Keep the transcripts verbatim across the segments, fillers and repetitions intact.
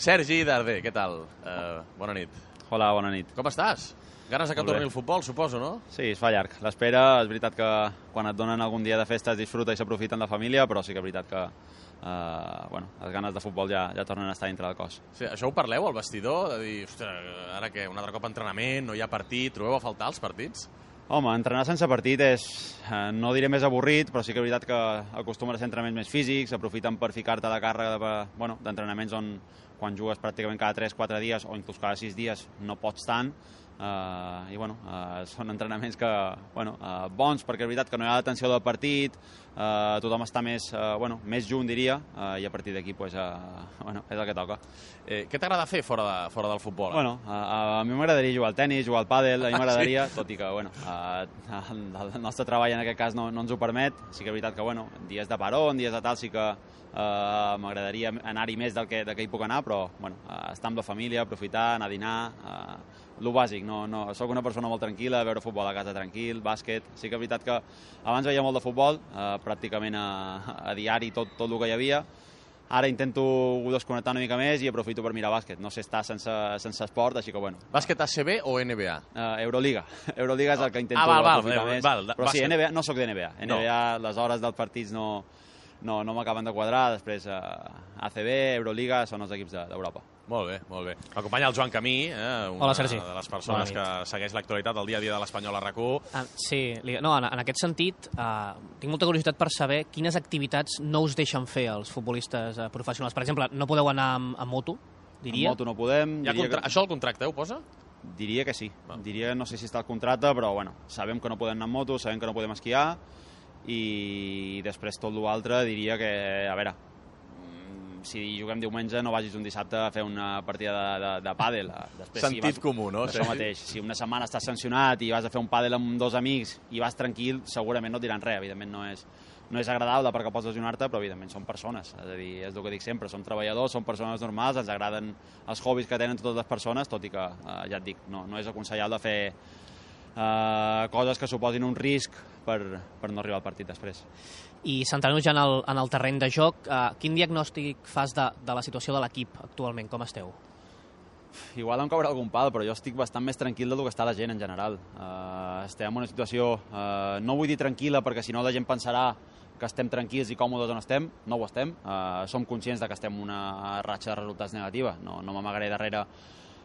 Sergi Darder, què tal? Uh, bona nit. Hola, bona nit. Com estàs? Ganes de que torni el futbol, suposo, no? Sí, es fa llarg. L'espera, és veritat que quan et donen algun dia de festa es disfruta i s'aprofiten la família, però sí que és veritat que uh, bueno, les ganes de futbol ja, ja tornen a estar dintre del cos. Sí, això ho parleu al vestidor? De dir, ostres, ara què, un altre cop entrenament, no hi ha partit, trobeu a faltar els partits? Home, entrenar sense partit és, eh, no diré més avorrit, però sí que és veritat que acostumen a ser entrenaments més físics, aprofiten per ficar-te la càrrega de, bueno, d'entrenaments on quan jugues pràcticament cada tres quatre dies o inclús cada sis dies no pots tant, Uh, i bueno, uh, són entrenaments que, bueno, uh, bons, perquè és veritat que no hi ha l'atenció del partit, uh, tothom està més, uh, bueno, més junt, diria, uh, i a partir d'aquí pues, uh, bueno, és el que toca. Eh, què t'agrada fer fora, de, fora del futbol? Bueno, uh, a mi m'agradaria jugar al tennis, jugar al pàdel, a mi m'agradaria, sí. Tot i que bueno, uh, el, el nostre treball en aquest cas no, no ens ho permet. Sí que és veritat que bueno, dies de parón, dies de tal, sí que uh, m'agradaria anar-hi més del que, del que hi puc anar, però bueno, uh, estar amb la família, aprofitar, anar a dinar, uh, lo bàsic, no, no, soc una persona molt tranquil·la, veure futbol a casa tranquil, bàsquet. Sí que és veritat que abans veia molt de futbol, eh, pràcticament a, a diari tot, tot el que hi havia. Ara intento desconnectar una mica més i aprofito per mirar bàsquet. No sé estar sense, sense esport, així que bueno. Bàsquet A C B o N B A? Uh, Euroliga. Euroliga és el que intento ah, val, val, aprofitar val, més. Val, però sí, bàsquet. N B A, no sóc de N B A. N B A, no. Les hores dels partits no, no, no m'acaben de quadrar. Després uh, A C B, Euroliga són els equips d'Europa. Molt bé, molt bé. M'acompanya el Joan Camí, eh, una Hola, Sergi. de les persones que segueix l'actualitat del dia a dia de l'Espanyol a RAC u. Ah, sí, no, en, en aquest sentit, eh, tinc molta curiositat per saber quines activitats no us deixen fer els futbolistes eh, professionals. Per exemple, no podeu anar amb, amb moto, diria? Amb moto no podem. Contra... Que... Això al contracte ho posa? Diria que sí. Ah. Diria, no sé si està al contracte, però bueno, sabem que no podem anar amb moto, sabem que no podem esquiar, i després tot l'altre diria que, a veure, si juguem diumenge no vagis un dissabte a fer una partida de, de, de pàdel. Després, Sentit si vas, comú, no? Això mateix. Si una setmana estàs sancionat i vas a fer un pàdel amb dos amics i vas tranquil, segurament no et diran res. Evidentment no és, no és agradable perquè pots lesionar-te, però evidentment són persones. És a dir, és el que dic sempre, són treballadors, són persones normals, ens agraden els hobbies que tenen totes les persones, tot i que, eh, ja et dic, no, no és aconsellable fer eh, coses que suposin un risc per, per no arribar al partit després. I centrant-nos ja en el, en el terreny de joc, eh, quin diagnòstic fas de, de la situació de l'equip actualment? Com esteu? Igual em caurà algun pal, però jo estic bastant més tranquil del que està la gent en general. Uh, estem en una situació, uh, no vull dir tranquil·la, perquè si no la gent pensarà que estem tranquils i còmodes on estem. No ho estem. Uh, som conscients de que estem en una ratxa de resultats negativa. No, no m'amagaré darrere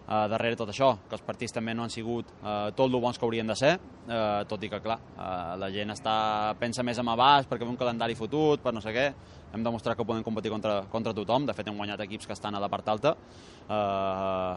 Uh, darrere tot això, que els partits també no han sigut uh, tot el bons que haurien de ser, uh, tot i que, clar, uh, la gent està, pensa més en abast perquè ve un calendari fotut, per no sé què. Hem demostrat que podem competir contra, contra tothom. De fet, hem guanyat equips que estan a la part alta. Uh,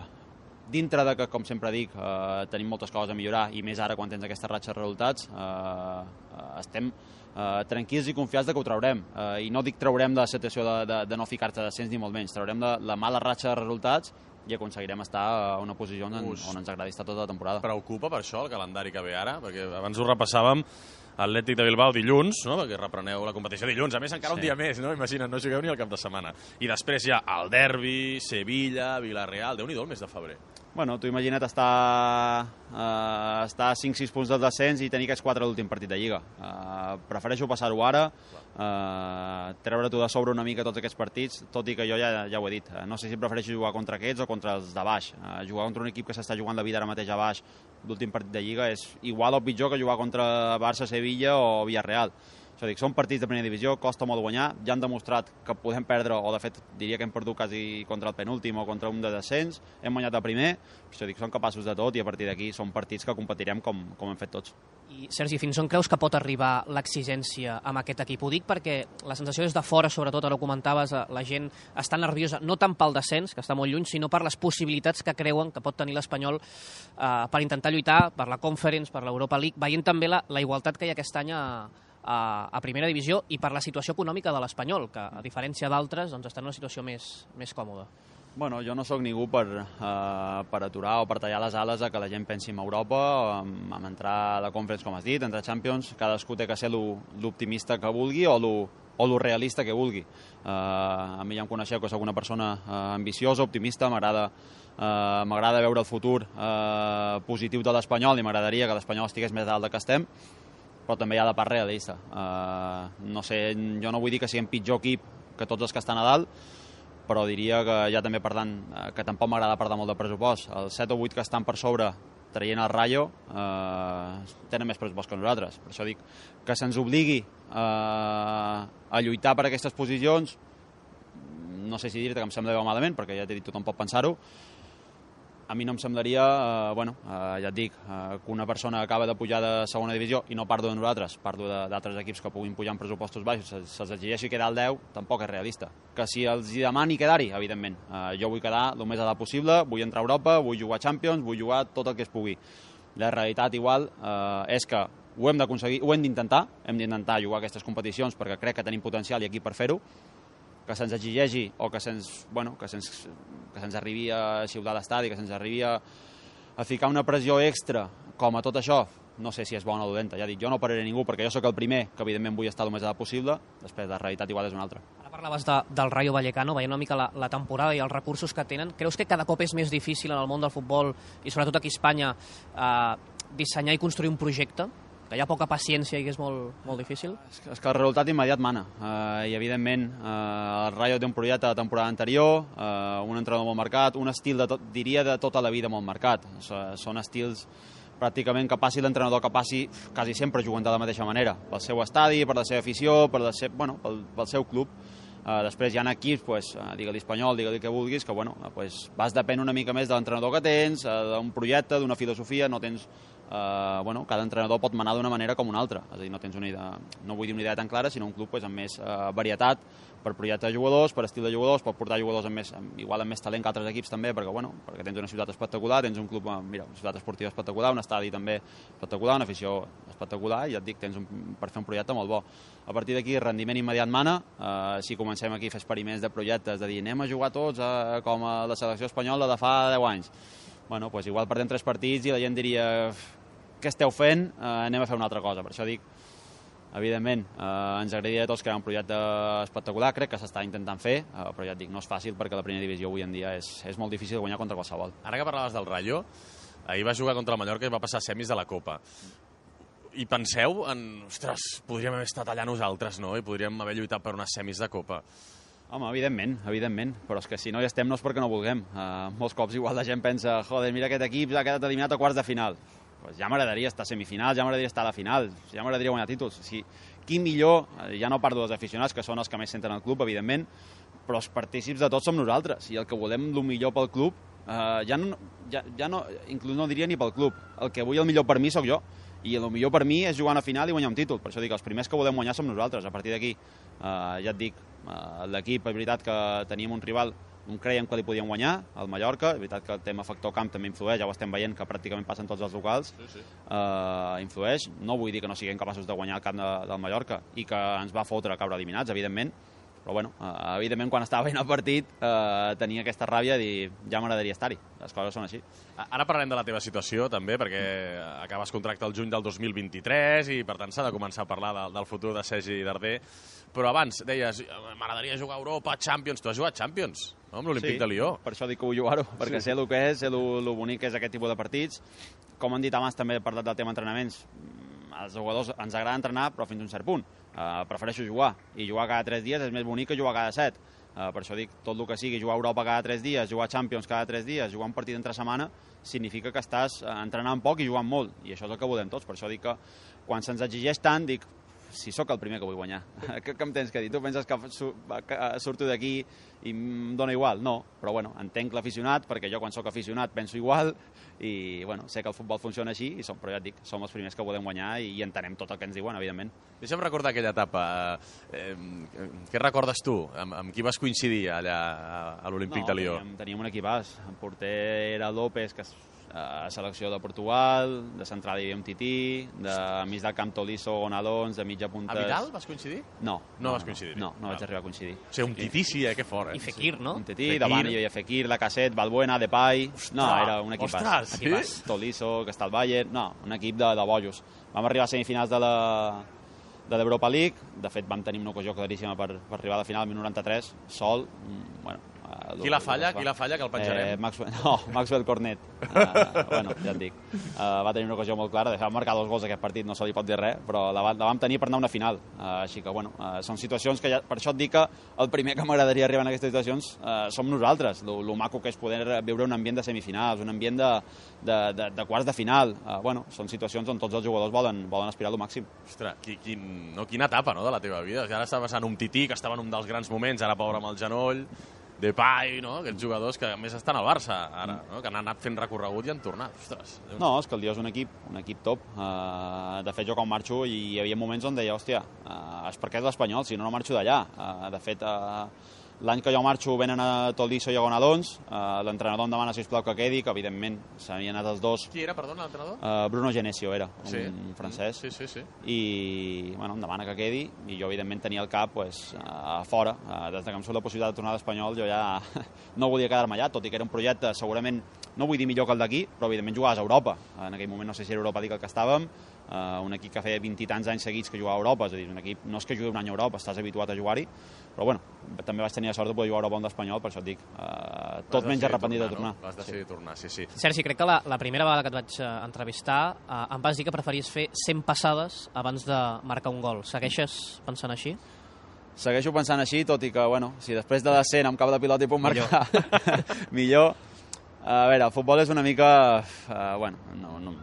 dintre de que, com sempre dic, uh, tenim moltes coses a millorar, i més ara quan tens aquesta ratxa de resultats, uh, uh, estem Uh, tranquils i confiats de que ho traurem, uh, i no dic traurem de la situació de, de, de no ficar-te descens ni molt menys, traurem de la mala ratxa de resultats i aconseguirem estar a una posició on, on ens agradi estar tota la temporada. Preocupa per això el calendari que ve ara? Perquè abans ho repassàvem, Atlètic de Bilbao dilluns, no? Perquè repreneu la competició dilluns, a més encara sí. Un dia més, no? Imagina't, no jugueu ni al cap de setmana. I després ja el derbi, Sevilla, Villarreal, Déu-n'hi-do el mes de febrer. Bueno, tu imagina't estar, uh, estar a cinc sis punts del descens i tenir aquests quatre l'últim partit de Lliga. Uh, prefereixo passar-ho ara, uh, treure-t'ho de sobre una mica tots aquests partits, tot i que jo ja, ja ho he dit. Uh, no sé si prefereixo jugar contra aquests o contra els de baix. Uh, jugar contra un equip que s'està jugant la vida ara mateix a baix, l'últim partit de Lliga, és igual o pitjor que jugar contra Barça, Sevilla o Villarreal. És a dir, són partits de primera divisió, costa molt guanyar, ja han demostrat que podem perdre, o de fet diria que hem perdut quasi contra el penúltim o contra un de descens, hem guanyat el primer, és a dir, són capaços de tot i a partir d'aquí són partits que competirem com, com hem fet tots. I Sergi, fins on creus que pot arribar l'exigència amb aquest equip? Ho dic perquè la sensació és de fora, sobretot, ara ho comentaves, la gent està nerviosa, no tant pel descens, que està molt lluny, sinó per les possibilitats que creuen que pot tenir l'Espanyol eh, per intentar lluitar per la Conference, per l'Europa League, veient també la, la igualtat que hi ha aquest any a, a, a primera divisió i per la situació econòmica de l'Espanyol, que a diferència d'altres doncs, està en una situació més, més còmoda. Bueno, jo no sóc ningú per, uh, per aturar o per tallar les ales a que la gent pensi en Europa, amb, amb entrar a la Conference, com has dit, entrar a Champions. Cadascú té que ser l'optimista que vulgui o lo, o lo realista que vulgui. Uh, a mi ja em coneixeu que sóc una persona uh, ambiciosa, optimista, m'agrada uh, m'agrada veure el futur uh, positiu de l'Espanyol i m'agradaria que l'Espanyol estigués més dalt del que estem, però també hi ha la part realista. Uh, no sé, jo no vull dir que siguem pitjor equip que tots els que estan a dalt, però diria que ja també per tant, que tampoc m'agrada perdre molt de pressupost. Els set o vuit que estan per sobre traient el Rayo eh, tenen més pressupost que nosaltres. Per això dic que se'ns obligui eh, a lluitar per aquestes posicions, no sé si dir-te que em sembla bé o malament, perquè ja t'he dit, tothom pot pensar-ho. A mi no em semblaria, eh, bueno, eh, ja et dic, eh, que una persona acaba de pujar de segona divisió, i no parlo de nosaltres, parlo d'altres equips que puguin pujar en pressupostos baixos, se'ls exigeixi quedar al deu, tampoc és realista. Que si els demani quedar-hi, evidentment. Eh, jo vull quedar el més a dalt possible, vull entrar a Europa, vull jugar a Champions, vull jugar tot el que es pugui. La realitat igual eh, és que ho hem d'aconseguir, ho hem d'intentar, hem d'intentar jugar aquestes competicions perquè crec que tenim potencial i equip per fer-ho, que se'ns exigeixi o que se'ns bueno, que se'ns que se'ns arribi a xiular l'estadi, que se'ns arribi a, a ficar una pressió extra com a tot això, no sé si és bona o dolenta. Ja dic, jo no pararé ningú perquè jo sóc el primer que evidentment vull estar el més a dalt possible, després la realitat igual és una altra. Ara parlaves de, del Rayo Vallecano, veient una mica la, la temporada i els recursos que tenen. Creus que cada cop és més difícil en el món del futbol i sobretot aquí a Espanya eh, dissenyar i construir un projecte? Que hi ha poca paciència i que és molt, molt difícil? És que, és que el resultat immediat mana. Uh, I, evidentment, uh, el Rayo té un projecte de temporada anterior, uh, un entrenador molt marcat, un estil, de tot, diria, de tota la vida molt marcat. Uh, són estils pràcticament que passi l'entrenador que passi, quasi sempre juguen de la mateixa manera. Pel seu estadi, per la seva afició, per la seva, bueno, pel, pel seu club. Uh, després hi ha equips, pues, uh, digue-li espanyol, digue-li que vulguis, que bueno, uh, pues, vas depèn una mica més de l'entrenador que tens, uh, d'un projecte, d'una filosofia, no tens... Uh, bueno, cada entrenador pot manar d'una manera com una altra, és a dir, no tens una idea, no vull dir una idea tan clara, sinó un club pues, amb més uh, varietat per projecte de jugadors, per estil de jugadors, pot portar jugadors amb més, amb, igual amb més talent que altres equips també, perquè, bueno, perquè tens una ciutat espectacular, tens un club, mira, una ciutat esportiva espectacular, un estadi també espectacular, una afició espectacular, i ja et dic, tens un, per fer un projecte molt bo. A partir d'aquí, rendiment immediat mana, uh, si comencem aquí a fer experiments de projectes, de dir, anem a jugar tots uh, com a la selecció espanyola de fa deu anys. Bueno, pues igual perdem tres partits i la gent diria què esteu fent, eh, anem a fer una altra cosa. Per això dic, evidentment, eh, ens agradaria a tots crear un projecte espectacular, crec que s'està intentant fer, eh, però ja et dic, no és fàcil perquè la primera divisió avui en dia és, és molt difícil guanyar contra qualsevol. Ara que parlaves del Rayo, ahir va jugar contra el Mallorca i va passar a semis de la Copa. I penseu en, ostres, podríem haver estat allà nosaltres, no? I podríem haver lluitat per unes semis de Copa. Home, evidentment, evidentment, però és que si no hi estem no és perquè no vulguem. Uh, molts cops igual la gent pensa, joder, mira aquest equip ha quedat eliminat a quarts de final. Pues ja m'agradaria estar a semifinals, ja m'agradaria estar a la final, ja m'agradaria guanyar títols. Si, qui millor, ja no parlo dels aficionats, que són els que més senten el club, evidentment, però els partícips de tots som nosaltres, i el que volem el millor pel club, eh, ja, no, ja, ja no, inclús no diria ni pel club, el que vull el millor per mi sóc jo, i el millor per mi és jugar a una final i guanyar un títol, per això dic, els primers que volem guanyar som nosaltres. A partir d'aquí, eh, ja et dic, eh, l'equip, és veritat que teníem un rival on creiem que li podíem guanyar, el Mallorca, és veritat que el tema factor camp també influeix, ja ho estem veient que pràcticament passen tots els locals, sí, sí. Eh, influeix, no vull dir que no siguem capaços de guanyar el camp de, del Mallorca i que ens va fotre a caure eliminats, evidentment, però bueno, eh, evidentment quan estava veient el partit eh, tenia aquesta ràbia de dir, ja m'agradaria estar-hi, les coses són així. Ara parlarem de la teva situació també, perquè acabes contracte el juny del dos mil vint-i-tres i per tant s'ha de començar a parlar del, del futur de Sergi Darder, però abans deies, m'agradaria jugar a Europa, Champions, tu has jugat Champions, no? Amb l'Olímpic sí, de Lió. Per això dic que vull jugar-ho, perquè sí. Sé el que és, sé el bonic que és aquest tipus de partits. Com han dit abans, també he parlat del tema entrenaments, els jugadors ens agrada entrenar, però fins a un cert punt. Uh, prefereixo jugar, i jugar cada tres dies és més bonic que jugar cada set. Uh, per això dic, tot el que sigui, jugar a Europa cada tres dies, jugar a Champions cada tres dies, jugar un partit entre setmana, significa que estàs entrenant poc i jugant molt, i això és el que volem tots. Per això dic que quan se'ns exigeix tant, dic, si sóc el primer que vull guanyar. Què em tens que dir? Tu penses que surto d'aquí i em dóna igual? No, però bueno, entenc l'aficionat, perquè jo quan sóc aficionat penso igual, i bueno, sé que el futbol funciona així, i som, però ja et dic, som els primers que volem guanyar i entenem tot el que ens diuen, evidentment. Deixa'm recordar aquella etapa. Eh, què recordes tu? Amb, amb qui vas coincidir allà a l'Olímpic no, de Lió? Teníem, teníem un equipàs. El porter era López, que a selecció de Portugal, de central hi havia un Tití, de mig del camp Tolisso, Gonalons, de mitja punta... A Vidal vas coincidir? No. No, no vas coincidir? No, no, no vaig arribar a coincidir. O sigui, un Tití sí, eh? Que fort, eh? I Fekir, no? Un Tití, davant hi havia Fekir, Lacazette, Balbuena, Depay... No, era un equipàs. Ostres, sí? Equipàs. Tolisso, que està al Bayern... No, un equip de, de bojos. Vam arribar a semifinals de la de l'Europa League, de fet vam tenir una ocasió claríssima per, per arribar a la final al noranta-tres, sol, bueno, Uh, qui la falla? Qui la falla, que el penjarem? Eh, Maxwell, no, Maxwell Cornet. Uh, bueno, ja et dic. Uh, va tenir una ocasió molt clara, de fet, va marcar dos gols aquest partit, no se li pot dir res, però la, la vam tenir per anar a una final. Uh, així que, bueno, uh, són situacions que ja, per això et dic que el primer que m'agradaria arribar en aquestes situacions uh, som nosaltres. Lo, lo maco que és poder viure un ambient de semifinals, un ambient de, de, de, de quarts de final. Uh, bueno, són situacions on tots els jugadors volen, volen aspirar al màxim. Ostres, qui, quin, no, quina etapa, no?, de la teva vida. Ara està passant un Tití, que estava en un dels grans moments, ara pobre amb el genoll, Depay, no?, aquests jugadors que a més estan al Barça ara, no?, que han anat fent recorregut i han tornat. Ostres. No, és que el Lió és un equip, un equip top. Uh, de fet, jo quan marxo i hi havia moments on deia, hòstia, uh, és perquè és l'Espanyol, si no, no marxo d'allà. Uh, de fet, uh, l'any que jo marxo venen a Tolisso i a Gonalons, uh, l'entrenador em demana, sisplau, que quedi, que evidentment s'havien anat els dos. Qui era, perdona, l'entrenador? Uh, Bruno Genesio era, sí. un francès. Sí, sí, sí. I, bueno, em demana que quedi, i jo, evidentment, tenia el cap pues, a fora. Uh, des que em surt la possibilitat de tornar a l'Espanyol, jo ja no volia quedar-me allà, tot i que era un projecte segurament, no vull dir millor que el d'aquí, però evidentment jugaves a Europa. En aquell moment no sé si era Europa League el que estàvem, uh, un equip que feia vint i tants anys seguits que jugava a Europa, és a dir, un equip, no és que jugui un any a Europa, estàs habituat a jugar-hi, però bueno, també vaig tenir la sort de poder jugar a Europa amb l'Espanyol, per això et dic, uh, tot menys arrepentit de tornar. No? Vas decidir sí. tornar, sí, sí. Sergi, crec que la, la primera vegada que et vaig uh, entrevistar uh, em vas dir que preferies fer cent passades abans de marcar un gol. Segueixes pensant així? Segueixo pensant així, tot i que, bueno, si després de les cent em cau la pilota i puc marcar, millor. millor. A veure, el futbol és una mica... Uh, bueno, no, no,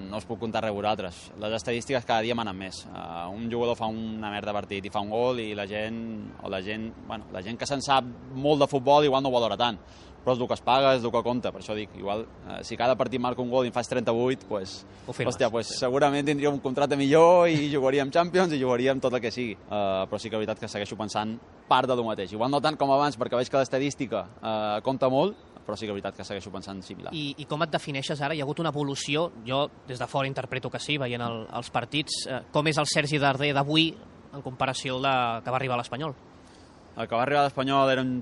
no us puc contar res vosaltres. Les estadístiques cada dia manen més. Uh, un jugador fa una merda de partit i fa un gol i la gent, o la gent, bueno, la gent que se'n sap molt de futbol igual no ho valora tant. Però és el que es paga, és el que compta. Per això dic, igual, uh, si cada partit marca un gol i en fas trenta-vuit, pues, hòstia, pues, sí. segurament tindria un contracte millor i jugaríem Champions i jugaríem tot el que sigui. Uh, però sí que és veritat que segueixo pensant part de lo mateix. Igual no tant com abans, perquè veig que l'estadística uh, compta molt, però sí que és veritat que segueixo pensant similar. I, I com et defineixes ara? Hi ha hagut una evolució, jo des de fora interpreto que sí, veient el, els partits. Eh, com és el Sergi Darder d'avui en comparació al de, que va arribar a l'Espanyol? El que va arribar a l'Espanyol era un...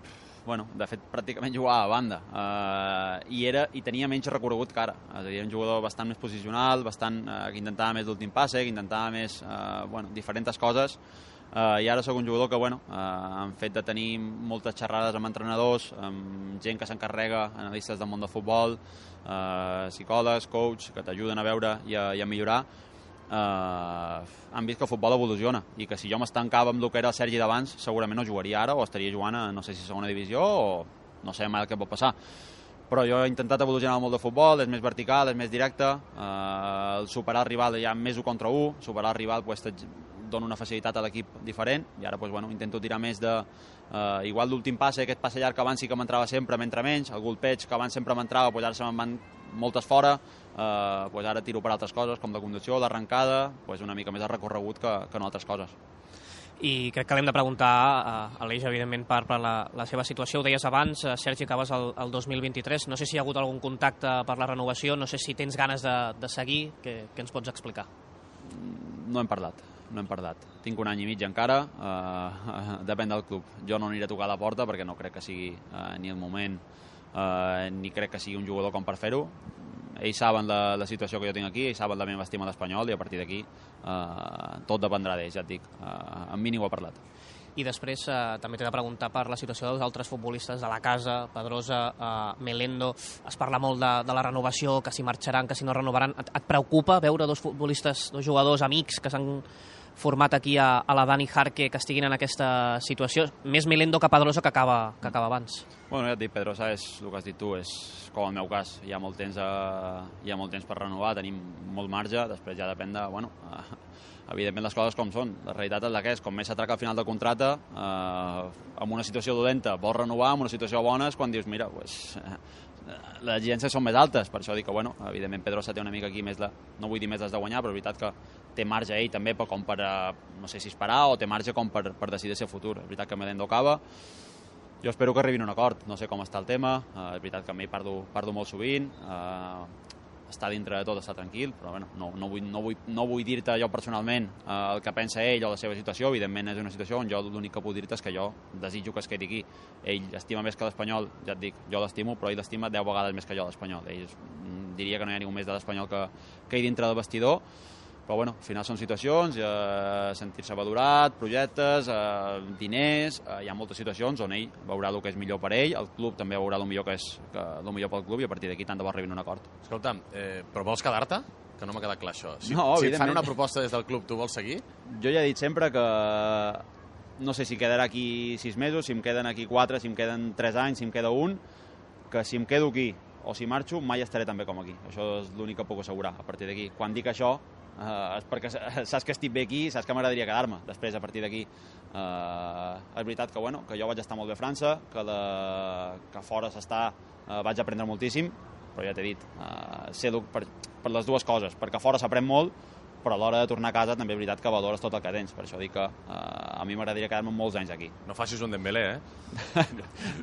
Bueno, de fet, pràcticament jugava a banda. Uh, i, era, I tenia menys recorregut que ara. És a dir, era un jugador bastant més posicional, bastant, uh, que intentava més l'últim passe, que intentava més, uh, bueno, diferents coses. Uh, I ara sóc un jugador que, bueno, uh, en fet de tenir moltes xerrades amb entrenadors, amb gent que s'encarrega, analistes del món del futbol, uh, psicòlegs, coach, que t'ajuden a veure i a, i a millorar, uh, han vist que el futbol evoluciona i que si jo m'estancava amb el que era el Sergi d'abans, segurament no jugaria ara o estaria jugant a, no sé si segona divisió o no sé mai el que pot passar. Però jo he intentat evolucionar molt de futbol, és més vertical, és més directe, eh, el superar el rival ja més un contra un, superar el rival pues, dona una facilitat a l'equip diferent, i ara pues, bueno, intento tirar més de... Eh, igual l'últim passe, aquest passe llarg que abans sí que m'entrava sempre, m'entra menys, el golpeig que abans sempre m'entrava, pues, ara se me'n van moltes fora, eh, pues, ara tiro per altres coses, com la conducció, l'arrencada, pues, una mica més de recorregut que, que no altres coses. I crec que l'hem de preguntar a Aleix, evidentment, per, per la, la seva situació. Ho deies abans, Sergi, acabes el, el dos mil vint-i-tres. No sé si hi ha hagut algun contacte per la renovació, no sé si tens ganes de, de seguir. Què, què ens pots explicar? No hem parlat, no hem parlat. Tinc un any i mig encara, eh, depèn del club. Jo no aniré a tocar la porta perquè no crec que sigui eh, ni el moment, eh, ni crec que sigui un jugador com per fer-ho. Ells saben la, la situació que jo tinc aquí, ells saben la meva estima a l'Espanyol i a partir d'aquí eh, tot dependrà d'ells, ja et dic. Eh, amb mi ningú ha parlat. I després eh, també t'he de preguntar per la situació dels altres futbolistes de la casa, Pedrosa, eh, Melendo. Es parla molt de, de la renovació, que si marxaran, que si no renovaran. Et, et preocupa veure dos futbolistes, dos jugadors amics que s'han format aquí a, a la Dani Jarque que estiguin en aquesta situació? Més Melendo que Pedrosa que acaba, que acaba abans. Bueno, ja et dic, Pedrosa és el que has dit tu, és com el meu cas. Hi ha molt temps, a, hi ha molt temps per renovar, tenim molt marge, després ja depèn de, bueno, eh, evidentment les coses com són. La realitat és la que és, com més s'atraca al final del contracte, eh, amb una situació dolenta vols renovar, amb una situació bona és quan dius, mira, pues, eh, les exigències són més altes, per això dic que, bueno, evidentment Pedrosa té una mica aquí més, la, no vull dir més des de guanyar, però és veritat que té marge ell també per, com per, no sé si esperar, o té marge com per, per decidir el seu futur. És veritat que Melendo acaba, jo espero que arribin a un acord, no sé com està el tema, eh, és veritat que amb ell parlo, parlo molt sovint, eh, està dintre de tot, està tranquil, però bueno, no, no vull, no vull, no vull dir-te jo personalment eh, el que pensa ell o la seva situació. Evidentment és una situació on jo l'únic que puc dir-te és que jo desitjo que es quedi aquí. Ell estima més que l'Espanyol, ja et dic, jo l'estimo, però ell l'estima deu vegades més que jo l'Espanyol. Ell diria que no hi ha ningú més de l'Espanyol que, que ell dintre del vestidor. Però bueno, al final són situacions, eh, sentir-se valorat, projectes, eh, diners, eh, hi ha moltes situacions on ell veurà el que és millor per ell, el club també veurà el millor que és que, el millor pel club i a partir d'aquí tant de bo arribin a un acord. Escolta'm, eh, però vols quedar-te? Que no m'ha quedat clar això. Si, no, si et fan una proposta des del club, tu vols seguir? Jo ja he dit sempre que no sé si quedarà aquí sis mesos, si em queden aquí quatre, si em queden tres anys, si em queda un, que si em quedo aquí o si marxo, mai estaré tan bé com aquí. Això és l'únic que puc assegurar a partir d'aquí. Quan dic això, eh, és perquè saps que estic bé aquí, saps que m'agradaria quedar-me. Després, a partir d'aquí, eh, és veritat que, bueno, que jo vaig estar molt bé a França, que, la, que fora s'està, eh, vaig aprendre moltíssim, però ja t'he dit, eh, sé per, per les dues coses, perquè fora s'aprèn molt, però a l'hora de tornar a casa també és veritat que valores tot el que tens. Per això dic que eh, a mi m'agradaria quedar-me molts anys aquí. No facis un Dembélé, eh?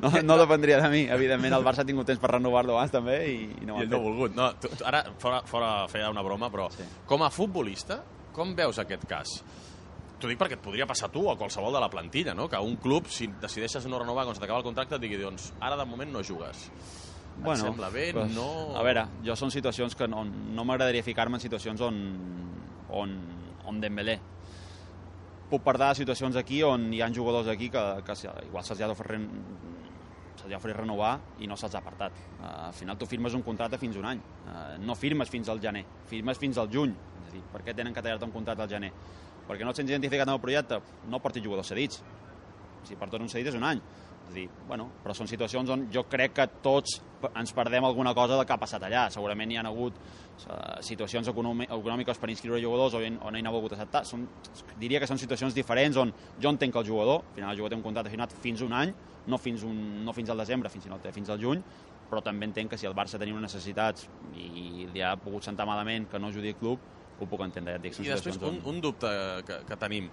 no, no dependria de mi. Evidentment, el Barça ha tingut temps per renovar-lo abans també i, i no ho I ell no ha volgut. No, tu, tu, ara, fora, fora feia una broma, però sí. Com a futbolista, com veus aquest cas? T'ho dic perquè et podria passar a tu o a qualsevol de la plantilla, no? Que un club, si decideixes no renovar quan s'acaba el contracte, et digui, doncs, ara de moment no jugues. Bueno, et sembla bé? Pues, no... A veure, jo són situacions que no, no m'agradaria ficar-me en situacions on, on, on Dembélé. Puc parlar de situacions aquí on hi ha jugadors aquí que, que igual se'ls ha d'oferir se'ls ha d'oferir renovar i no se'ls ha apartat. Uh, al final tu firmes un contracte fins un any. Uh, no firmes fins al gener, firmes fins al juny. És a dir, per què tenen que tallar-te un contracte al gener? Perquè no et sents identificat amb el projecte? No portis jugadors cedits. Si portes un cedit és un any. És a dir, bueno, però són situacions on jo crec que tots ens perdem alguna cosa del que ha passat allà. Segurament hi ha hagut uh, situacions econòmiques per inscriure jugadors on, on ell no ha volgut acceptar. Són, diria que són situacions diferents on jo entenc que el jugador, al final el jugador té un contracte firmat fins un any, no fins, un, no fins al desembre, fins, sinó fins al juny, però també entenc que si el Barça tenia unes necessitats i li ha pogut sentar malament que no ajudi el club, ho puc entendre. Ja et dic, I després un, un dubte que, que tenim.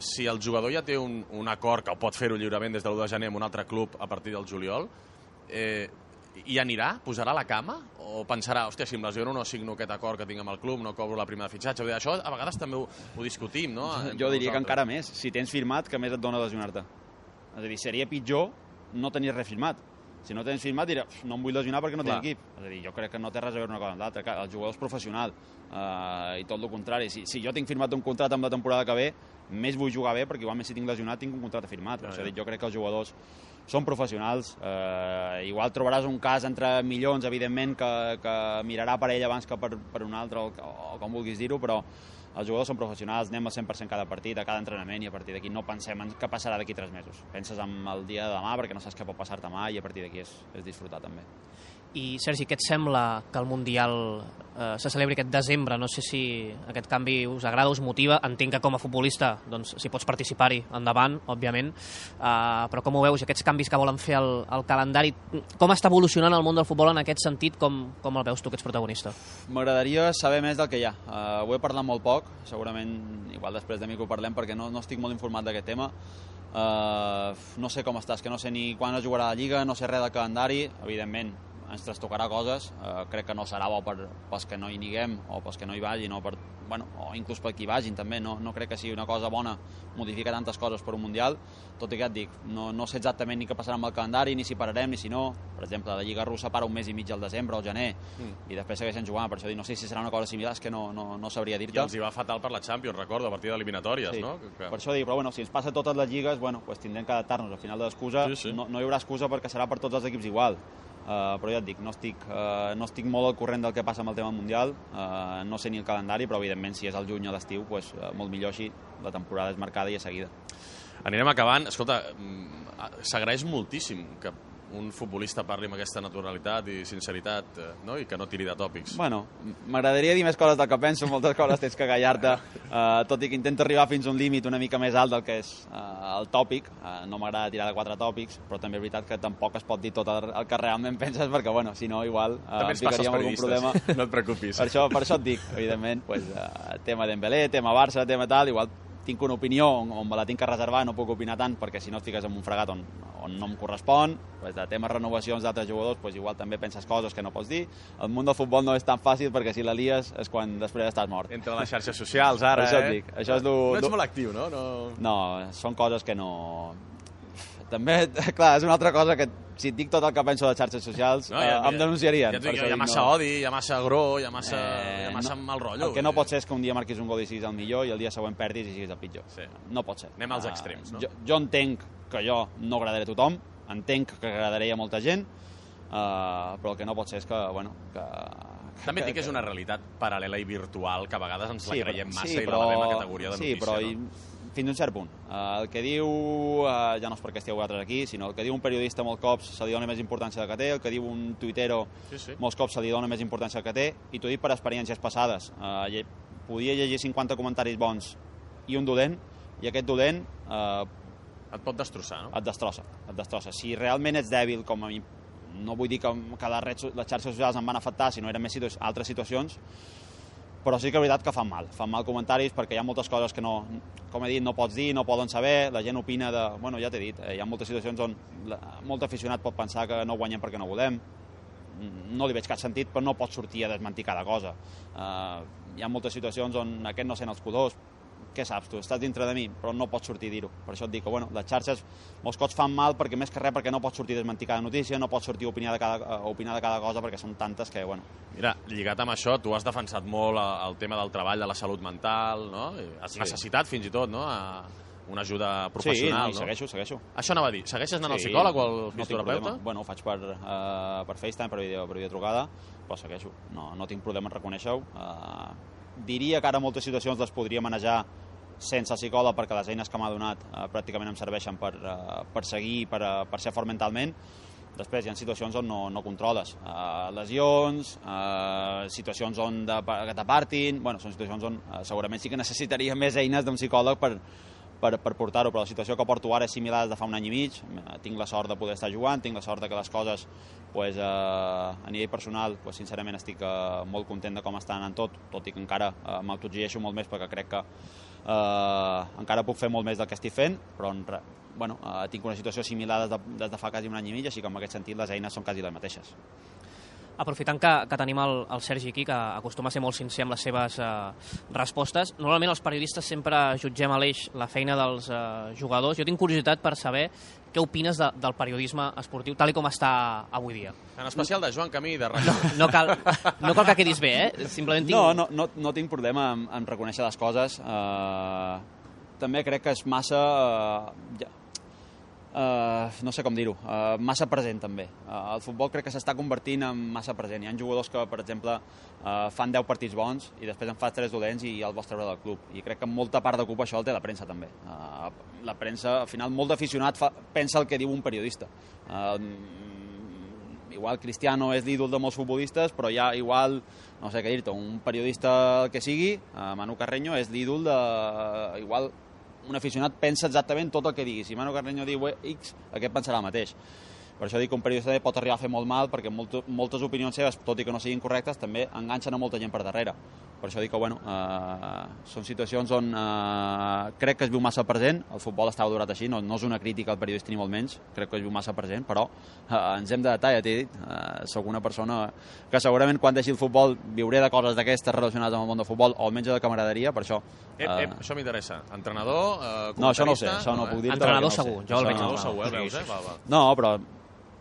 Si el jugador ja té un, un acord que pot fer-ho lliurement des de l'u de gener amb un altre club a partir del juliol, eh, hi anirà? Posarà la cama? O pensarà, hòstia, si em lesiono no signo aquest acord que tinc amb el club, no cobro la prima de fitxatge? Això a vegades també ho, ho discutim, no? Jo diria que encara més. Si tens firmat, que més et dona lesionar-te? És a dir, seria pitjor no tenir res firmat. Si no tens firmat, dirà, no em vull lesionar perquè no tinc equip. És a dir, jo crec que no té res a veure una cosa amb l'altra. El jugador és professional eh, i tot el contrari. Si, si jo tinc firmat un contracte amb la temporada que ve, més vull jugar bé perquè igualment si tinc lesionat tinc un contracte firmat. No, ja. Jo crec que els jugadors són professionals. Eh, igual trobaràs un cas entre milions, evidentment, que, que mirarà per ell abans que per, per un altre, o, o com vulguis dir-ho, però els jugadors són professionals, anem al cent per cent cada partit, a cada entrenament, i a partir d'aquí no pensem en què passarà d'aquí tres mesos. Penses en el dia de demà perquè no saps què pot passar demà i a partir d'aquí és, és disfrutar també. I, Sergi, què et sembla que el Mundial eh, se celebri aquest desembre? No sé si aquest canvi us agrada, us motiva. Entenc que com a futbolista, doncs, si pots participar-hi, endavant, òbviament. Uh, però com ho veus, aquests canvis que volen fer al, al calendari, com està evolucionant el món del futbol en aquest sentit? Com, com el veus tu, que ets protagonista? M'agradaria saber més del que hi ha. Uh, ho he parlat molt poc, segurament, igual després de mi que ho parlem, perquè no, no estic molt informat d'aquest tema. Uh, no sé com estàs, que no sé ni quan es jugarà la Lliga, no sé res del calendari, evidentment ens trastocarà coses, eh, crec que no serà bo per, pels que no hi niguem o pels que no hi vagin o, per, bueno, o inclús per qui vagin també, no, no crec que sigui una cosa bona modificar tantes coses per un Mundial, tot i que et dic, no, no sé exactament ni què passarà amb el calendari, ni si pararem, ni si no. Per exemple, la Lliga Russa para un mes i mig al desembre o al gener mm. i després segueixen jugant, per això dic, no sé si serà una cosa similar, és que no, no, no sabria dir-te. I els hi va fatal per la Champions, recordo, a partir d'eliminatòries, sí. no? Que... Per això dic, però bueno, si ens passa totes les lligues, bueno, pues tindrem que adaptar-nos. Al final de l'excusa sí, sí. no, no hi haurà excusa perquè serà per tots els equips igual. Uh, però ja et dic, no estic, uh, no estic molt al corrent del que passa amb el tema mundial, uh, no sé ni el calendari, però evidentment si és el juny o l'estiu, pues, uh, molt millor així, la temporada és marcada i és seguida. Anirem acabant. Escolta, s'agraeix moltíssim que un futbolista parli amb aquesta naturalitat i sinceritat, no? I que no tiri de tòpics. Bueno, m'agradaria dir més coses del que penso, moltes coses tens que callar-te, uh, tot i que intento arribar fins a un límit una mica més alt del que és uh, el tòpic. Uh, no m'agrada tirar de quatre tòpics, però també és veritat que tampoc es pot dir tot el, el que realment penses, perquè, bueno, si no, igual uh, també ens passa als periodistes, no et preocupis. Per això, per això et dic, evidentment, pues, uh, tema Dembélé, tema Barça, tema tal, igual tinc una opinió on, on me la tinc que reservar, no puc opinar tant perquè si no et fiques en un fregat on, on no em correspon, pues de temes renovacions d'altres jugadors, pues igual també penses coses que no pots dir. El món del futbol no és tan fàcil perquè si la lies és quan després estàs mort. Entre les xarxes socials ara, això eh? Dic, això és lo, no ets lo... molt actiu, no? no? No, són coses que no... també, clar, és una altra cosa que si et dic tot el que penso de xarxes socials no, ja, eh, em denunciarien. Ja, ja, ja, hi ha massa no. odi, hi ha massa agró, hi ha massa, eh, hi ha massa no, mal rotllo. El que no pot ser és que un dia marquis un gol i siguis el millor i el dia següent perdis i siguis el pitjor. Sí. No pot ser. Anem als extrems, no? Uh, jo, jo entenc que jo no agradaré a tothom, entenc que agradaré a molta gent, uh, però el que no pot ser és que, bueno, que... També et dic que és una realitat paral·lela i virtual que a vegades ens sí, la creiem massa sí, i però, la lavem a categoria de sí, notícia, però, no? I, fins a un cert punt. Uh, el que diu, uh, ja no és perquè esteu vosaltres aquí, sinó el que diu un periodista molts cops se li dona més importància del que té, el que diu un tuitero sí, sí. molts cops se li dona més importància del que té, i t'ho dic per experiències passades. Uh, lle podia llegir cinquanta comentaris bons i un dolent, i aquest dolent... Uh, et pot destrossar, no? Et destrossa, et destrossa. Si realment ets dèbil, com a mi, no vull dir que, que les, redes, les xarxes socials em van afectar, sinó eren més situ altres situacions, però sí que és veritat que fan mal. Fan mal comentaris perquè hi ha moltes coses que no, com he dit, no pots dir, no poden saber, la gent opina de... Bueno, ja t'he dit, eh, hi ha moltes situacions on la, molt aficionat pot pensar que no guanyem perquè no volem. No li veig cap sentit, però no pots sortir a desmentir cada cosa. Uh, hi ha moltes situacions on aquest no sent els colors. Què saps tu? Estàs dintre de mi, però no pots sortir a dir-ho. Per això et dic que bueno, les xarxes molts cops fan mal perquè més que res perquè no pots sortir a desmentir cada notícia, no pots sortir a opinar de cada, a opinar de cada cosa perquè són tantes que, bueno... Mira, lligat amb això, tu has defensat molt el tema del treball, de la salut mental, no? Has sí. necessitat fins i tot, no?, a una ajuda professional, sí, no? Sí, segueixo, segueixo. Això anava a dir, segueixes anant sí, al psicòleg o al fisioterapeuta? No bueno, ho faig per, uh, per FaceTime, per, video, per videotrucada, però segueixo. No, no tinc problema en reconèixer-ho. Uh, diria que ara moltes situacions les podria manejar sense psicòleg perquè les eines que m'ha donat uh, pràcticament em serveixen per, uh, per seguir, per, uh, per ser fort mentalment. Després hi ha situacions on no, no controles. Uh, lesions, uh, situacions on de, que t'apartin... Bueno, són situacions on uh, segurament sí que necessitaria més eines d'un psicòleg per, per, per portar-ho, però la situació que porto ara és similar de fa un any i mig. Tinc la sort de poder estar jugant, tinc la sort de que les coses, pues, uh, a nivell personal, pues, sincerament estic uh, molt content de com estan anant tot, tot i que encara uh, m'autoexigeixo molt més perquè crec que Uh, encara puc fer molt més del que estic fent, però bueno, uh, tinc una situació similar des de, des de fa quasi un any i mig, així que en aquest sentit les eines són quasi les mateixes. Aprofitant que, que tenim el, el Sergi aquí, que acostuma a ser molt sincer amb les seves uh, respostes, normalment els periodistes sempre jutgem a l'eix la feina dels uh, jugadors. Jo tinc curiositat per saber què opines de, del periodisme esportiu tal com està avui dia. En especial de Joan Camí i de Rayo. No, no, cal, no cal que quedis bé, eh? Simplement tinc... No, no, no, no tinc problema en, en reconèixer les coses. Uh, també crec que és massa... Uh, ja, Uh, no sé com dir-ho, uh, massa present també. Uh, el futbol crec que s'està convertint en massa present. Hi ha jugadors que, per exemple, uh, fan deu partits bons i després en fan tres dolents i el vols treure del club. I crec que molta part de culpa això el té la premsa també. Uh, la premsa, al final, molt d'aficionat pensa el que diu un periodista. Uh, igual Cristiano és l'ídol de molts futbolistes, però hi ha igual, no sé què dir-te, un periodista que sigui, uh, Manu Carreño, és l'ídol de... Uh, igual un aficionat pensa exactament tot el que digui. Si Manu Carreño diu X, aquest pensarà el mateix. Per això dic que un periodista pot arribar a fer molt mal, perquè molt, moltes opinions seves, tot i que no siguin correctes, també enganxen a molta gent per darrere. Per això dic que, bueno, eh, són situacions on eh, crec que es viu massa present. El futbol està valorat així, no, no és una crítica al periodista ni molt menys, crec que es viu massa present, però eh, ens hem de datar, ja t'he dit. Eh, soc una persona que segurament quan deixi el futbol viuré de coses d'aquestes relacionades amb el món del futbol, o almenys de camaraderia, per això... Eh, eh, uh... això m'interessa. Entrenador, eh, no, això no ho sé, això no, no puc dir-te. Entrenador no segur, jo el veig. Entrenador segur, el veus, eh? Va, va. No, però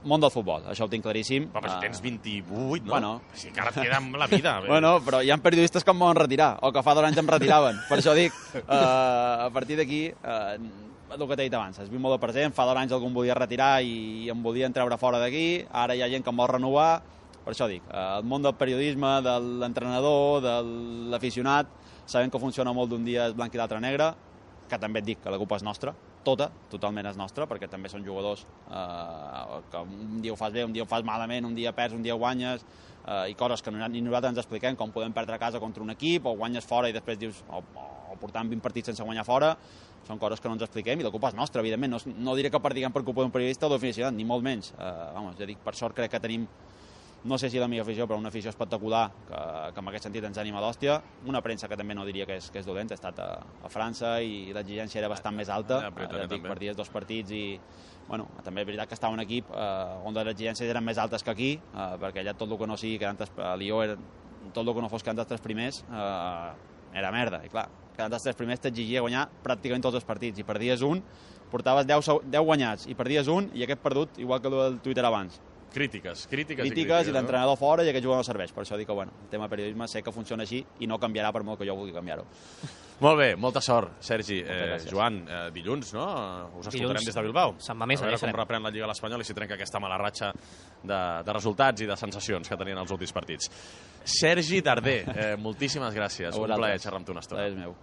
món del futbol, això ho tinc claríssim. Però, però si tens vint-i-vuit, no? Bueno. Si encara et queda amb la vida. Bueno, però hi ha periodistes que em volen retirar, o que fa dos anys em retiraven. Per això dic, uh, a partir d'aquí, uh, el que t'he dit abans, es viu molt de present, fa dos anys algú em volia retirar i em volien treure fora d'aquí, ara hi ha gent que em vol renovar. Per això dic, el món del periodisme, de l'entrenador, de l'aficionat, sabem que funciona molt d'un dia és blanc i l'altre negre, que també et dic que la culpa és nostra, tota, totalment és nostra, perquè també són jugadors eh, que un dia ho fas bé, un dia ho fas malament, un dia perds, un dia guanyes, eh, i coses que ni nosaltres ens expliquem, com podem perdre a casa contra un equip, o guanyes fora i després dius, o, o portant vint partits sense guanyar fora, són coses que no ens expliquem i la culpa és nostra, evidentment. No, no diré que perdiguem per culpa d'un periodista o d'un aficionat, ni molt menys. Eh, vamos, ja dic, per sort crec que tenim, no sé si la millor afició, però una afició espectacular que, que en aquest sentit ens anima d'hòstia. Una premsa que també no diria que és, que és dolenta. He estat a, a França i l'exigència era bastant més alta. Ja, ja dic, perdies dos partits i... Bueno, també és veritat que estava un equip eh, on les exigències eren més altes que aquí, eh, perquè allà tot el que no sigui quedant a Lió, era, tot el que no fos quedant als tres primers, eh, era merda. I clar, quedant els tres primers t'exigia guanyar pràcticament tots els partits, i perdies un, portaves deu guanyats, i perdies un, i aquest perdut, igual que el Twitter abans. Crítiques, crítiques, crítiques i l'entrenador fora i aquest jugador no serveix. Per això dic que, bueno, el tema periodisme sé que funciona així i no canviarà per molt que jo vulgui canviar-ho. Molt bé, molta sort, Sergi. Eh, Joan, eh, dilluns, no? Us escoltarem dilluns, des de Bilbao. Se'n va més, a veure com reprèn la Lliga a l'Espanyol i si trenca aquesta mala ratxa de, de resultats i de sensacions que tenien els últims partits. Sergi Darder, eh, moltíssimes gràcies. Un plaer xerrar amb tu una estona. És meu.